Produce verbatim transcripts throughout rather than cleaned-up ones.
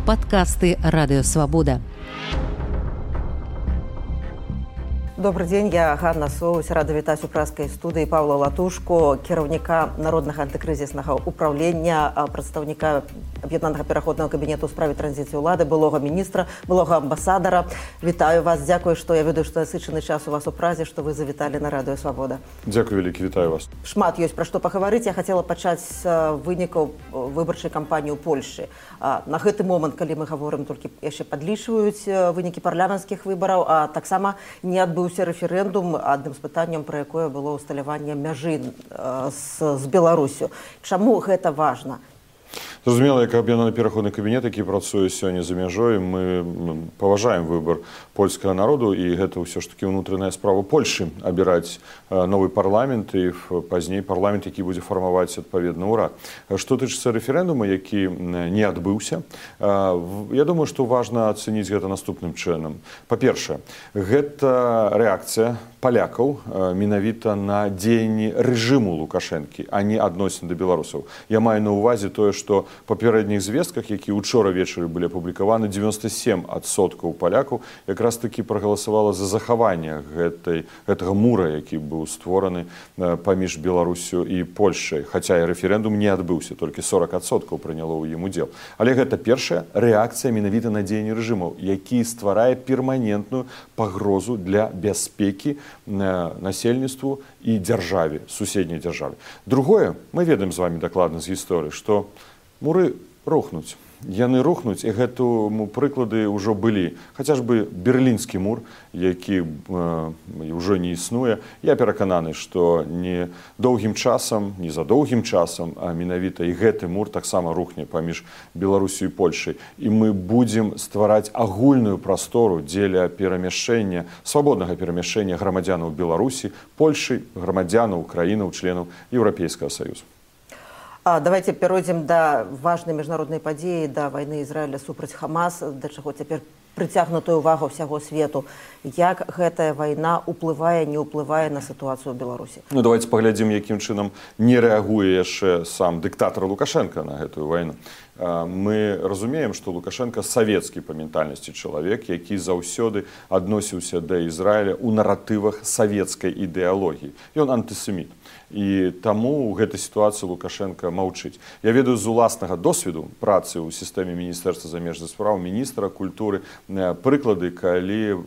Подкасты «Радио Свобода». Добрый день, я Ганна Соус, рада вітаць у праскай студыі Павла Латушко, кіраўніка Народнага антыкрызіснага ўправлення, прадстаўніка Аб'яднанага пераходнага кабінету ў справе транзіцыі ўлады, былога міністра, былога амбасадара. Вітаю вас, дзякую, што я ведаю, што насычаны час у вас у празе, што вы завіталі на Радыё Свабода. Дзякую вялікі, вітаю вас. Шмат ёсць пра што пагаварыць. Я хацела пачаць з вынікаў выбарчай кампаніі ў Польшы. На гэты момант, калі мы гаворым, толькі яшчэ падлічваюць вынікі парламенцкіх выбараў, а таксама не адбыўся рэферэндум, адным з пытанняў, пра якое было ўсталяванне мяжы з, з Беларусю. Чаму гэта важна? Зразумела, як аб'яднаны пераходны кабінет, які працуе сёння за мяжой, мы паважаем выбар польскага народу, і гэта ўсё ж такі ўнутраная справа Польшы абіраць новы парламент і пазней парламент, які будзе фармаваць адпаведны ўрад. Што тычыцца рэферэндума, які не адбыўся, я думаю, што важна ацэніць гэта наступным чынам. Па-першае, гэта рэакцыя палякаў менавіта на дзеянні рэжыму Лукашэнкі, а не адносін да беларусаў. Я маю на ўвазе тое, што па папярэдніх звестках, якія учора вечары былі апублікаваны, дзевяносто сем адсоткаў палякаў якраз такі прагаласавала за захаванне гэтай, гэтага мура, які быў створаны паміж Беларусю і Польшай. Хаця і рэферэндум не адбыўся, толькі сорок адсоткаў прыняло ў ім удзел. Але гэта першая рэакцыя менавіта на дзеянні рэжымаў, які стварае перманентную пагрозу для бяспекі насельніцтву і дзяржаве, суседняй дзяржаве. Другое, мы ведаем з вамі дакладна з гісторыі, што муры рухнуць. Яны рухнуць, і гэтому прыклады ўжо былі. Хаця ж бы Берлінскі мур, які ўжо не існуе. Я перакананы, што не доўгім часам, не за доўгім часам, а менавіта і гэты мур таксама рухне паміж Беларусю і Польшай. І мы будзем ствараць агульную прастору дзеля перамяшчэння, свабоднага перамяшчэння грамадзянаў Беларусі, Польшы, грамадзянаў, краінаў, членаў Еўрапейскага Саюзу. А, давайте перейдем до важной международной падзеі, да войны Израиля супраць Хамас, да чаго цяпер прыцягнутая ўвага ўсяго свету. Як гэтая вайна уплывае, не ўплывае на сітуацыю ў Беларусі? Ну, давайте паглядзім, якім чынам не рэагуе яшчэ сам дыктатар Лукашенко на гэтую вайну. Мы разумеем, што Лукашенко савецкі па ментальнасці чалавек, які заўсёды адносіўся да Ізраіля ў наратывах савецкай ідэалогіі. Ён антысеміт. І таму ў гэтай сітуацыі Лукашенко маўчыць. Я ведаю з уласнага досведу працы ў сістэме Міністэрства замежных спраў, міністра культуры, прыклады, калі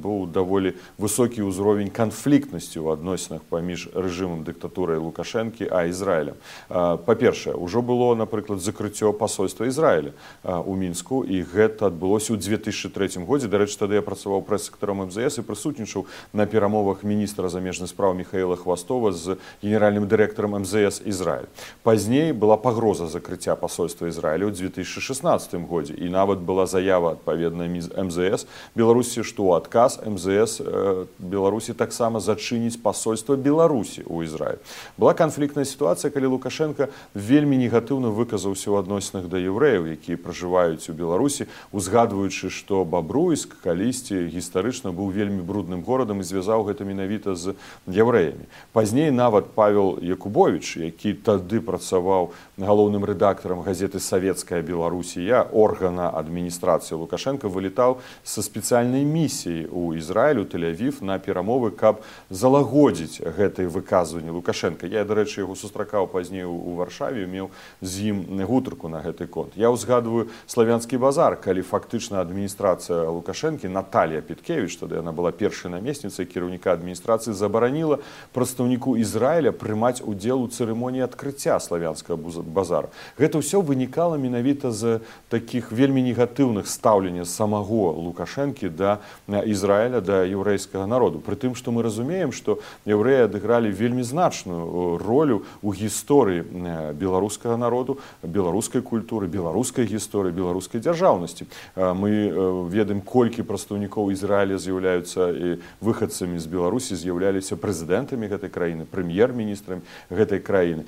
быў даволі высокі ўзровень канфліктнасці ў адносінах паміж рэжымам дыктатурай Лукашэнкі а Ізраілем. Па-першае, ужо было, напрыклад, закрыццё пасольства Ізраіля ў Мінску, і гэта адбылося ў две тысячы трэцім годзе. Дарэчы, тады я працаваў прэс-сектаром эм зэ эс і прысутнічаў на перамовах міністра замежных спраў Міхаіла Хвастова з генеральным дырэктарам эм зэ эс Ізраіль. Пазней была пагроза закрыцця пасольства Ізраіля ў две тысячы шаснаццатым годзе, і нават была заява адпаведная эм зэ эс Беларусі, што ў адказ эм зэ эс э, Беларусі таксама зачыніць пасольства Беларусі ў Ізраіль. Была канфліктная сітуацыя, калі Лукашенко вельмі негатыўна выказаўся ў адносінах да яўрэяў, якія пражываюць у Беларусі, узгадваючы, што Бабруйск калісьці гістарычна быў вельмі брудным горадам і звязаў гэта менавіта з яўрэямі. Пазней нават Павел Якубович, які тады працаваў галоўным рэдактарам газеты «Савецкая Беларусія», органа адміністрацыі Лукашенко, вылетаў са спецыяльнай місіяй у Ізраіль, у Тель-Авів на перамовы, каб залагодзіць гэтыя выказванні Лукашенко. Я, дарэчы, яго сустракаў пазней у Варшаве, меў з ім гутарку на гэты конт. Я ўзгадваю славянскі базар, калі фактычна адміністрацыя Лукашэнкі, Наталья Петкевіч, тады яна была першай намесніцай кіраўніка адміністрацыі, забараніла прадстаўніку Ізраіля прымаць удзел у цырымоніі адкрыцця славянскага базара. Гэта ўсё вынікала менавіта з такіх вельмі негатыўных стаўлення самого Лукашэнкі да Ізраіля, да яўрэйскага народу. Пры тым, што мы разумеем, што яўрэі адыгралі вельмі значную ролю ў гісторыі беларускага народу, беларускай культуры, беларускай гісторыі, беларускай дзяржаўнасці. Мы ведаем, колькі прадстаўнікоў Ізраіля з'яўляюцца выхадцамі з Беларусі, з'яўляліся прэзідэнтамі гэтай краіны, прэм'ер-міністрам гэтай краіны.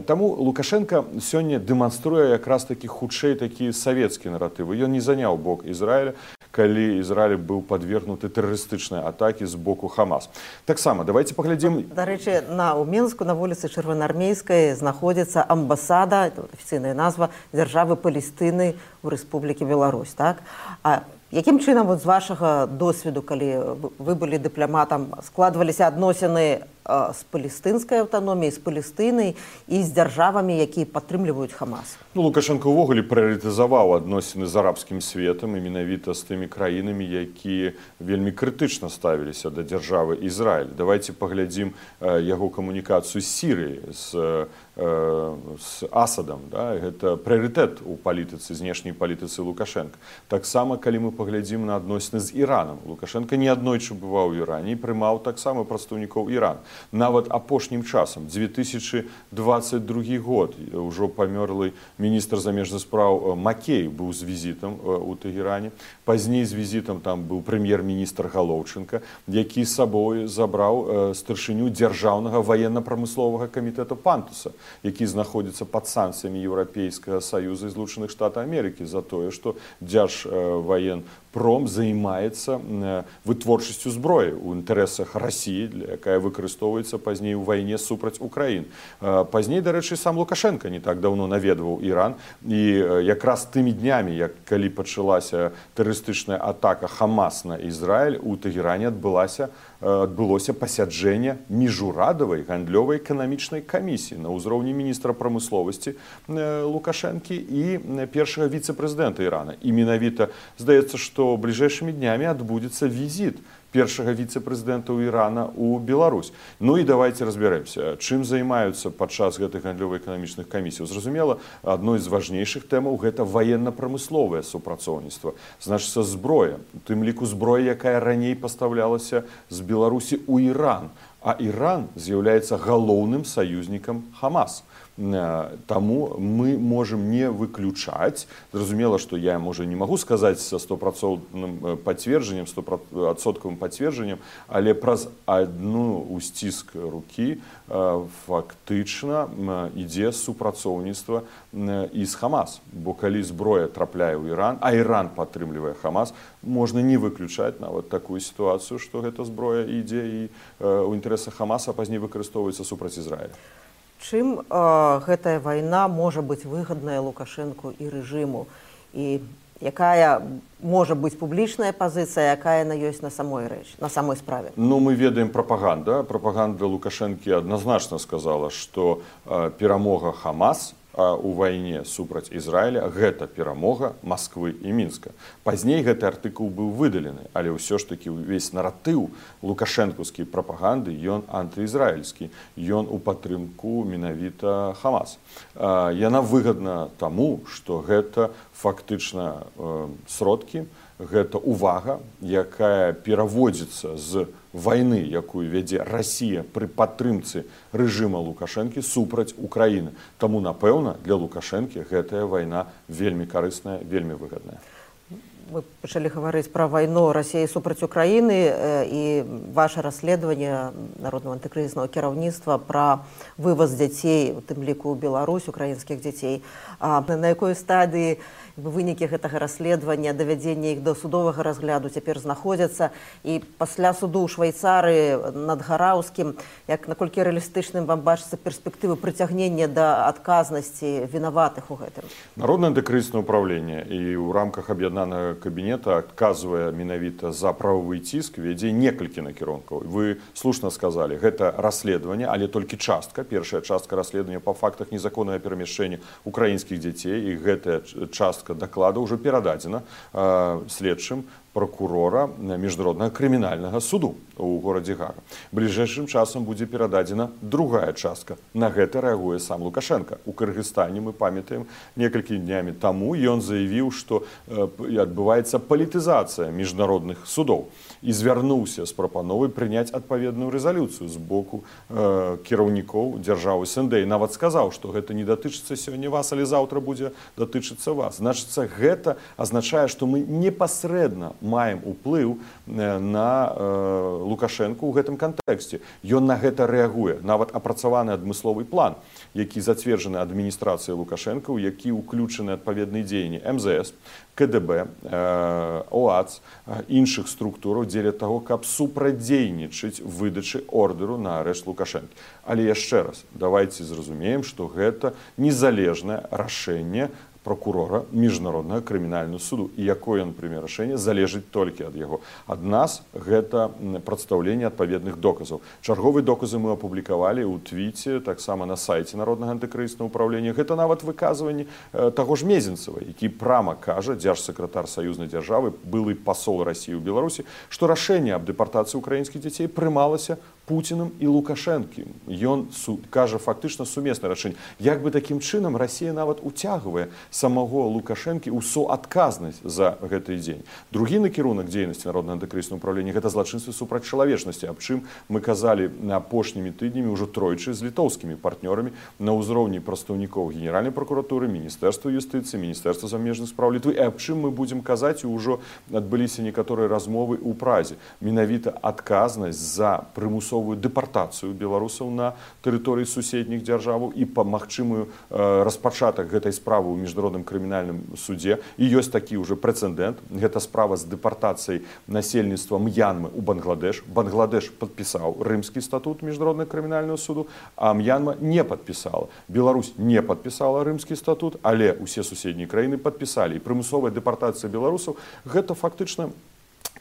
Таму Лукашенко сёння дэманструе якраз такі хутчэй такія савецкія наратывы. Ён не заняў бок Ізраіля. калі Ізраіль быў падвергнуты тэрарыстычнай атакі з боку Хамас. Таксама давайте паглядзім. Дарэчы, на ў Мінску на вуліцы Чырвонаармейскай знаходзіцца амбасада, афіцыйная назва дзяржавы Палестыны ў Рэспублікі Беларусь, так? А якім чынам вот з вашага досведу, калі вы былі дыпламатам, складваліся адносіны з палестынскай аўтаноміяй, з Палестынай і з дзяржавамі, якія падтрымліваюць Хамас? Ну, Лукашенко ўвогуле прыярытызаваў адносіны з арабскім светам і менавіта з тымі краінамі, якія вельмі крытычна ставіліся да дзяржавы Ізраіль. Давайте паглядзім яго камунікацыю з Сірыяй, з, з Асадам. Да? Гэта прыярытэт у палітыцы, знешняй палітыцы Лукашенка. Таксама, калі мы паглядзім на адносіны з Іранам. Лукашенко неаднойчы бываў у Іране і прымаў таксама прадстаўнікоў Ірана. Нават апошнім часам, дзве тысячы дваццаць другі год, ўжо памёрлы міністр замежных спраў Макей быў з візітам у Тэгеране. Пазней з візітам там быў прэм'ер-міністр Галоўчынка, які з сабой забраў старшыню дзяржаўнага ваенна-прамысловага камітэта Пантуса, які знаходзіцца пад санкцыямі Еўрапейскага Саюза і Злучаных Штатаў Амерыкі за тое, што Дзяржваенпром займаецца вытворчасцю зброі ў інтарэсах Расіі, якая выкарыстоўваецца пазней у вайне супраць Украін. Пазней, дарэчы, сам Лукашенко не так даўно наведваў Іран, і якраз тымі днямі, як калі пачалася тэрарыстычная атака Хамас на Ізраіль, у Тэгеране адбылася адбылося пасяджэнне міжурадавай гандлёвай эканамічнай камісіі на ўзроўні міністра прамысловасці Лукашэнкі і першага віцэ-прэзідэнта Ірана. І менавіта здаецца, што бліжэйшымі днямі адбудзецца візіт першага віцэ-прэзідэнта ў Ірана ў Беларусь. Ну і давайте разбярэмся, чым займаюцца падчас гэтых гандлёва-эканамічных камісій. Зразумела, адной з важнейшых тэмаў гэта ваенна-прамысловае супрацоўніцтва. Значыцца, зброя, у тым ліку зброя, якая раней пастаўлялася з Беларусі ў Іран. А Іран з'яўляецца галоўным саюзнікам Хамас. Таму мы можам не выключаць, зразумела, што я, можа, не магу сказаць са стопроцентным пацверджаннем, стопроцентным пацверджаннем, але праз адну усціск рукі фактычна ідзе супрацоўніцтва і з Хамас. Бо калі зброя трапляе ў Іран, а Іран падтрымлівае Хамас, можна не выключаць нават такую сітуацыю, што гэта зброя ідзе і ў інтарэсах Хамаса, а пазней выкарыстоўваецца супраць Ізраіля. Чым э, гэтая вайна можа быць выгадная Лукашэнку і рэжыму? І якая можа быць публічная пазіцыя, якая на ёсць на самой рэч, на самой справе? Ну, мы ведаем прапаганда. Прапаганда Лукашэнкі адназначна сказала, што э, перамога Хамас у вайне супраць Ізраіля гэта перамога Масквы і Мінска. Пазней гэты артыкул быў выдалены, але ўсё ж такі ўвесь наратыў лукашэнкаўскай прапаганды, ён антыізраільскі, ён у падтрымку менавіта Хамас. Яна выгадна таму, што гэта фактычна сродкі, гэта увага, якая пераводзіцца з вайны, якую вядзе Расія пры падтрымцы рэжыма Лукашэнкі супраць Украіны. Таму, напэўна, для Лукашэнкі гэтая вайна вельмі карысная, вельмі выгадная. Мы пачалі гаварыць пра вайну Расіі супраць Украіны і ваше расследаванне Народнага антыкрызіснага кіраўніцтва пра вываз дзяцей, у тым ліку ў Беларусь, украінскіх дзяцей. А на якой стадыі вынікі гэтага расследавання, давядзення іх да судовага разгляду цяпер знаходзяцца, і пасля суду ў Швайцарыі над Гараўскім, як наколькі рэалістычным вам бачыцца перспектывы прыцягнення да адказнасці вінаватых у гэтым? Народнае антыкрызіснае ўпраўленне і ў рамках аб'яднанага кабінета адказвае менавіта за правовы ціск, вядзе некалькі накірункаў. Вы слушна сказалі, гэта расследаванне, але толькі частка, першая частка расследавання па фактах незаконнага перамяшчэння украінскіх дзяцей, і гэтая частка доклада уже перададзена э, следчым прокурора міжнароднага крымінальнага суду у горадзе Гага. Бліжэйшым часам будзе перададзена другая частка. На гэта рэагуе сам Лукашенко. У Кыргызстане, мы памятаем, некалькі днямі таму ён заявіў, што э, адбываецца палітызацыя міжнародных судоў і звярнуўся з прапановай прыняць адпаведную рэзалюцыю з боку э, кіраўнікоў дзяржавы СНД. І нават сказаў, што гэта не датычыцца сёння вас, але заўтра будзе датычыцца вас. Значыцца, гэта азначае, што мы непасрэдна маем уплыў на Лукашэнку ў гэтым кантэксце. Ён на гэта рэагуе. Нават апрацаваны адмысловы план, які зацверджаны адміністрацыяй Лукашэнка, у які ўключаны адпаведныя дзеянні эм зэ эс, ка дэ бэ, ОАЦ, іншых структураў дзеля таго, каб супрадзейнічаць выдачы ордэру на арышт Лукашэнкі. Але яшчэ раз, давайце зразумеем, што гэта незалежнае рашэнне прокурора міжнароднага крымінальнага суду. І якое, например, рашэнне залежыць толькі ад яго. Ад нас гэта прадстаўленне адпаведных доказаў. Чарговыя доказы мы апублікавалі ў твіце, таксама на сайце Народнага антыкрызіснага ўпраўлення. Гэта нават выказванне таго ж Мезенцева, які прама кажа, дзяржсакратар саюзнай дзяржавы, былы пасол Расіі ў Беларусі, што рашэнне аб дэпартацыі украінскіх дзяцей прымалася Пуціным і Лукашэнкім. Ён кажа фактычна сумеснае рашэнне. Як бы такім чынам Расія нават уцягвае самого Лукашэнкі ў суадказнасць за гэты дзень. Другі накірунак дзейнасці Народнага антыкрызіснага ўпраўлення гэта злачынствы супраць чалавечнасці, аб чым мы казалі апошнімі тыднямі ўжо тройчы з літоўскімі партнёрамі на ўзроўні прадстаўнікоў Генеральнай пракуратуры, Міністэрства юстыцыі, Міністэрства замежных спраў Літвы, і аб чым мы будзем казаць, і ўжо адбыліся некаторыя размовы ў Празе. Менавіта адказнасць за прымусовую дэпартацыю беларусаў на тэрыторыі суседніх дзяржаваў і па магчымую распачатак гэтай справы ў міжнародным крымінальным судзе. І ёсць такі ўжо прэцэдэнт. Гэта справа з дэпартацыяй насельніцтва М'янмы ў Бангладеш. Бангладеш падпісаў Рымскі статут міжнароднага крымінальнага суду, а М'янма не падпісала. Беларусь не падпісала Рымскі статут, але ўсе суседнія краіны падпісалі. І прымусовая дэпартацыя беларусаў гэта фактычна,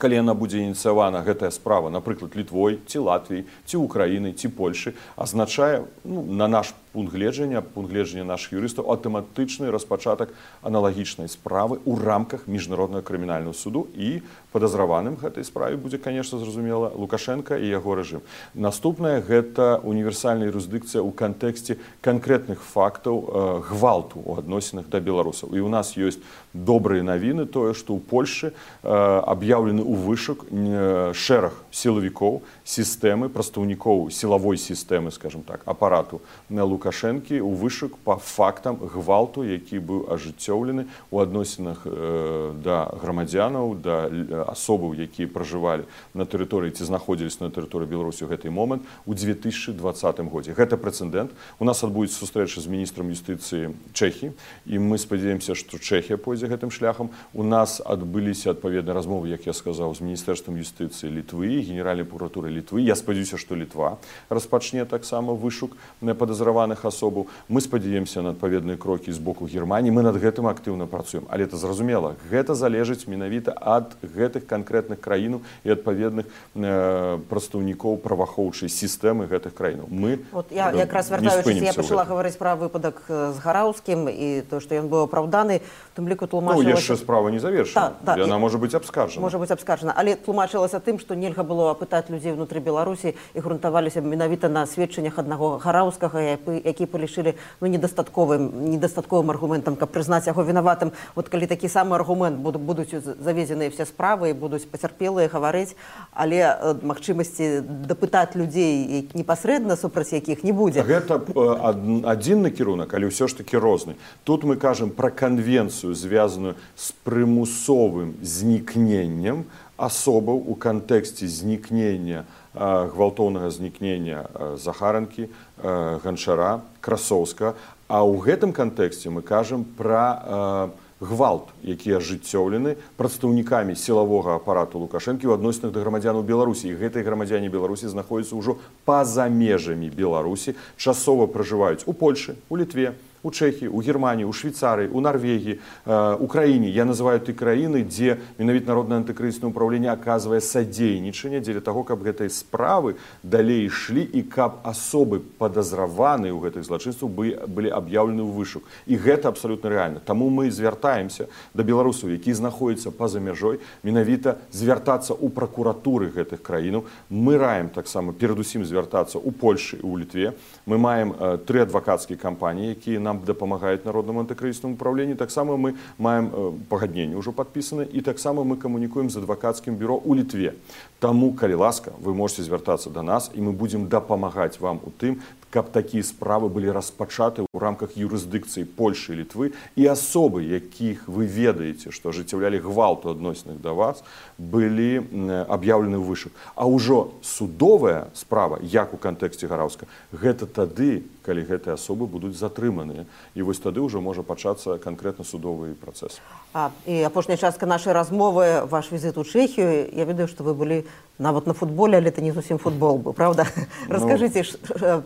калі яна будзе ініцыявана, гэтая справа, напрыклад, Літвой, ці Латвіяй, ці Украінай, ці Польшы, азначае, ну, на наш пункт гледжання, пункт гледжання нашых юрыстаў, аўтаматычны распачатак аналагічнай справы ў рамках міжнароднага крымінальнага суду, і падазраваным гэтай справе будзе, конечно, зразумела, Лукашенко і яго рэжым. Наступнае гэта універсальная юрысдыкцыя ў кантэксце канкрэтных фактаў э, гвалту ў адносінах да беларусаў. І ў нас ёсць добрыя навіны, тое, што ў Польшы э, аб'яўлены ў вышук э, шэраг сілавікоў, сістэмы, прадстаўнікоў сілавой сістэмы, скажем так, апарату на Лукашэнкі ў вышук па фактам гвалту, які быў ажыццёўлены ў адносінах э, да грамадзянаў, да асобаў, якія пражывалі на тэрыторыі ці знаходзіліся на тэрыторыі Беларусі ў гэты момант у две тысячы двадцатым годзе. Гэта прэцэдэнт. У нас адбудзецца сустрэча з міністрам юстыцыі Чэхіі, і мы спадзяемся, што Чэхія пойдзе гэтым шляхам. У нас адбыліся адпаведныя размовы, як я сказаў, з міністэрствам юстыцыі Літвы, Генеральнай прокуратуры Літвы. Я спадзяюся, што Літва распачне таксама вышук падазраваных асобаў. Мы спадзяемся на адпаведныя крокі з боку Германіі. Мы над гэтым актыўна працуем. Але это зразумела, гэта залежыць менавіта ад гэтых канкрэтных краінаў і адпаведных э, прадстаўнікоў праваахоўчай сістэмы гэтых краінаў. Мы вот я э, якраз вяртаючыся, я пачала гаварыць пра выпадак з Гараўскім і то, што ён быў апраўданы, тым ліку тлумачылася... Ну, яшчэ справа не завершана. Да, да, яна можа быць абскарджана. Можа быць абскарджана, але тлумачылася тым, што нельга было апытаць людзей внутры Беларусі і грунтаваліся менавіта на сведчаннях аднаго Гараўскага, які палічылі ну, недастатковым, недастатковым аргументам, каб прызнаць яго вінаватым. Вот калі такі самы аргумент будуць завезеныя все справы і будуць пацярпелыя гаварыць, але э, магчымасці дапытаць людзей непасрэдна супраць якіх не будзе. Гэта э, адзін накірунак, але ўсё ж такі розны. Тут мы кажам пра канвенцыю, звязаную з прымусовым знікненнем асобаў у кантэксце знікнення, э, гвалтоўнага знікнення э, Захаранкі, э, Ганчара, Красоўска. А ў гэтым кантэксце мы кажам пра э, гвалт, які ажыццёўлены прадстаўнікамі сілавога апарату Лукашэнкі ў адносінах да грамадзянаў Беларусі. І гэтыя грамадзяне Беларусі знаходзяцца ўжо па-за межамі Беларусі, часова пражываюць у Польшы, у Літве, у Чэхіі, у Германіі, у Швейцарыі, у Нарвегіі, э, у краіне. Я называю ты краіны, дзе менавіта Народнае антыкрызіснае ўпраўленне аказвае садзейнічанне дзеля таго, каб гэтай справы далей ішлі і каб асобы падазраваныя ў гэтых злачынствах былі аб'яўлены ў вышук. І гэта абсалютна рэальна. Таму мы звяртаемся да беларусаў, які знаходзяцца па-за мяжой, менавіта звяртацца ў пракуратуры гэтых краінаў. Мы раім таксама перадусім звяртацца ў Польшы і ў Літве. Мы маем э, тры адвакацкія кампаніі, якія нам дапамагаюць Народнаму антыкрызіснаму ўпраўленню. Таксама мы маем э, пагадненне ўжо падпісана, і таксама мы камунікуем з адвакацкім бюро ў Літве. Таму, калі ласка, вы можете звяртацца да нас, і мы будзем дапамагаць вам у тым, каб такія справы былі распачаты ў рамках юрысдыкцыі Польшы і Літвы, і асобы, якіх вы ведаеце, што ажыццяўлялі гвалт у адносінах да вас, былі аб'яўлены ў вышак. А ўжо судовая справа, як у кантэксце Гараўска, гэта тады, калі гэтыя асобы будуць затрыманыя. І вось тады ўжо можа пачацца канкрэтна судовы працэс. А, і апошняя частка нашай размовы, ваш візит у Чэхію, я ведаю, што вы былі нават на футболе, але это не зусім футбол быў, правда? Ну, раскажыце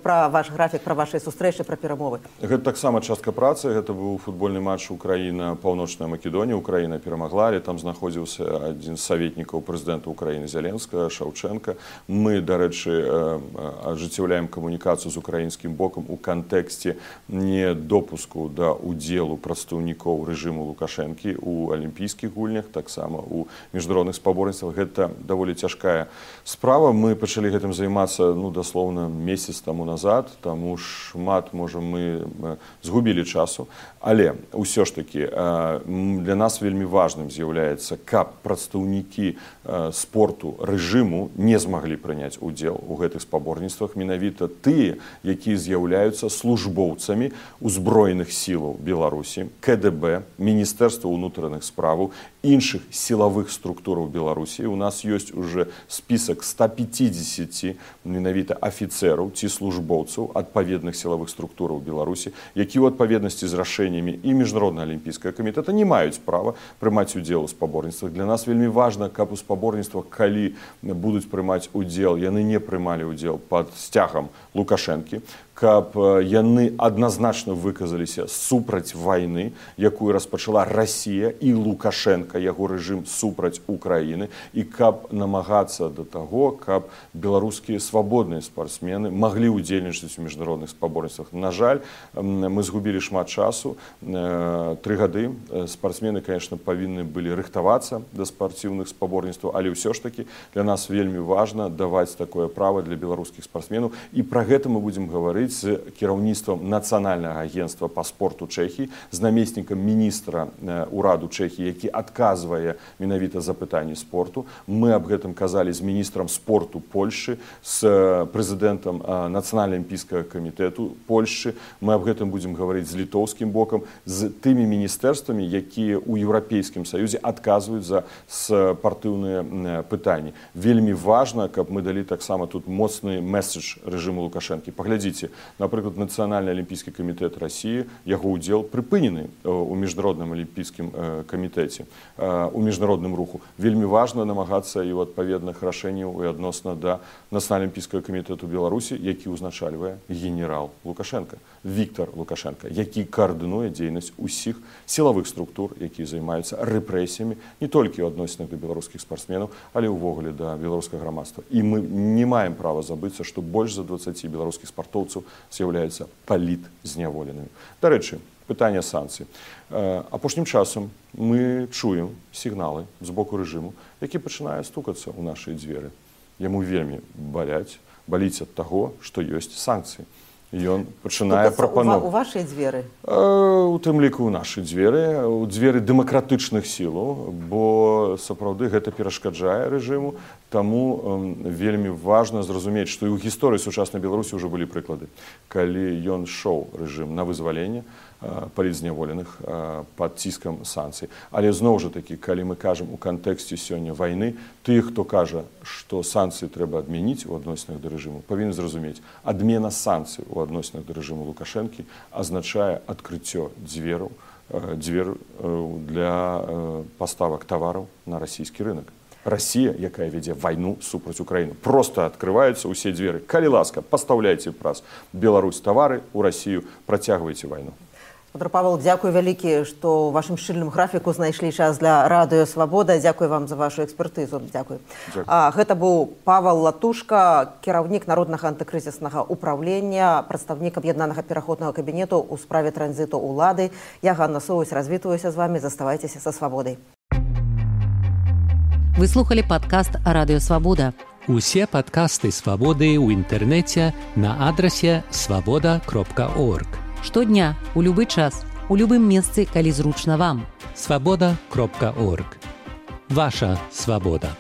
пра ваш графік, пра вашыя сустрэчы, пра перамовы. Гэта таксама частка працы, гэта быў футбольны матч Украіна-Паўночная Македонія, Украіна перамагла, але там знаходзіўся адзін з саветнікаў прэзідэнта Украіны Зяленскага, Шаўчэнка. Мы, дарэчы, ажыццяўляем камунікацыю з украінскім бокам у кантэксце недопуску да удзелу прадстаўнікоў рэжыму Лукашэнкі у алімпійскіх гульнях, таксама у міжнародных спаборніцтвах. Гэта даволі цяжкая справа. Мы пачалі гэтым займацца, ну, даслоўна, месяц таму назад, таму шмат, можа, мы згубілі часу. Але ўсё ж такі для нас вельмі важным з'яўляецца, каб прадстаўнікі спорту рэжыму не змаглі прыняць удзел у гэтых спаборніцтвах, менавіта тыя, якія з'яўляюцца службоўцамі узброеных сілаў Беларусі, ка дэ бэ, Міністэрства ўнутраных справаў, іншых сілавых структураў Беларусі. У нас ёсць уже спісак ста пятидесяти менавіта афіцэраў ці службоўцаў адпаведных сілавых структураў Беларусі, які ў адпаведнасці з рашэннямі і Міжнароднага алімпійскага камітэта не маюць права прымаць удзел у спаборніцтвах. Для нас вельмі важна, каб у спаборніцтвах, калі будуць прымаць удзел, яны не прымалі удзел пад сцягам Лукашэнкі, каб яны адназначна выказаліся супраць вайны, якую распачала Расія і Лукашенка, яго рэжым супраць Украіны, і каб намагацца да таго, каб беларускія свабодныя спартсмены маглі ўдзельнічаць у міжнародных спаборніцтвах. На жаль, мы згубілі шмат часу, тры гады. Спартсмены, конечно, павінны былі рыхтавацца да спартыўных спаборніцтваў, але ўсё ж такі для нас вельмі важна даваць такое права для беларускіх спартсменаў, і пра гэта мы будзем гаварыць з кіраўніцтвам Нацыянальнага агентства па спорту Чэхіі, з намеснікам міністра ўраду Чэхіі, які адказвае менавіта за пытанні спорту. Мы аб гэтым казалі з міністрам спорту Польшчы, з прэзідэнтам Нацыянальнага алімпійскага камітэту Польшчы. Мы аб гэтым будзем гаварыць з літоўскім бокам, з тымі міністэрствамі, якія ў Еўрапейскім Саюзе адказваюць за спартыўныя пытанні. Вельмі важна, каб мы далі таксама тут моцны месседж рэжыму Лукашэнкі. Паглядзіце, напрыклад, Нацыянальны алімпійскі камітэт Расіі, яго ўдзел прыпынены у міжнародным алімпійскім камітэце, у міжнародным руху. Вельмі важна намагацца і ў адпаведных рашэнняў і адносна да Нацыянальнага алімпійскага камітэту Беларусі, які ўзначальвае генерал Лукашенка, Віктор Лукашенка, які каардынуе дзейнасць усіх сілавых структур, якія займаюцца рэпрэсіямі не толькі ў адносінах да беларускіх спартсменаў, але ўвогуле да беларускага грамадства. І мы не маем права забыцца, што больш за дваццаць беларускіх спартоўцаў з'яўляюцца палітзняволенымі. Дарэчы, пытанне санкцый. Апошнім часам мы чуем сігналы з боку рэжыму, які пачынае стукацца ў нашыя дзверы. Яму вельмі баляць, баліць ад таго, што ёсць санкцыі. Ён пачынае прапановаць. У вашыя дзверы? У тым ліку ў нашы дзверы, у дзверы дэмакратычных сілаў, бо сапраўды гэта перашкаджае рэжыму. Таму вельмі важна зразумець, што і ў гісторыі сучаснай Беларусі ўжо былі прыклады, калі ён шоў рэжым на вызваленне палітзняволеных пад ціскам санкцый. Але зноў жа такі, калі мы кажам у кантэксце сёння вайны, тыя, хто кажа, што санкцыі трэба адмяніць у адносінах да рэжыму, павінны зразумець, адмена санкцый у адносінах да рэжыму Лукашэнкі азначае адкрыццё дзвераў, дзвер для паставак тавараў на расійскі рынок. Расія, якая вядзе вайну супраць Украіны. Проста адкрываюцца ўсе дзверы. Калі ласка, пастаўляйце праз Беларусь тавары ў Расію, працягвайце вайну. Петр Павел, дзякуй вялікі, што ў вашым шчыльным графіку знайшлі час для радыё Свабода. Дзякуй вам за вашу экспертызу. Дзякуй. А, гэта быў Павел Латушка, кіраўнік Народнага антыкрызіснага ўпраўлення, прадстаўнік аб'яднанага пераходнага кабінету ў справе транзіту ўлады. Я Ганна Соусь, развітваюся з вамі. Заставайцеся са Свабодай. Вы слухали падкаст «Радыё Свабода». Усе падкасты Свабоды ў інтэрнэце на адрасе свабода кропка орг. Штодня, у любы час, у любым месцы, калі зручна вам. свабода кропка орг. Ваша свабода.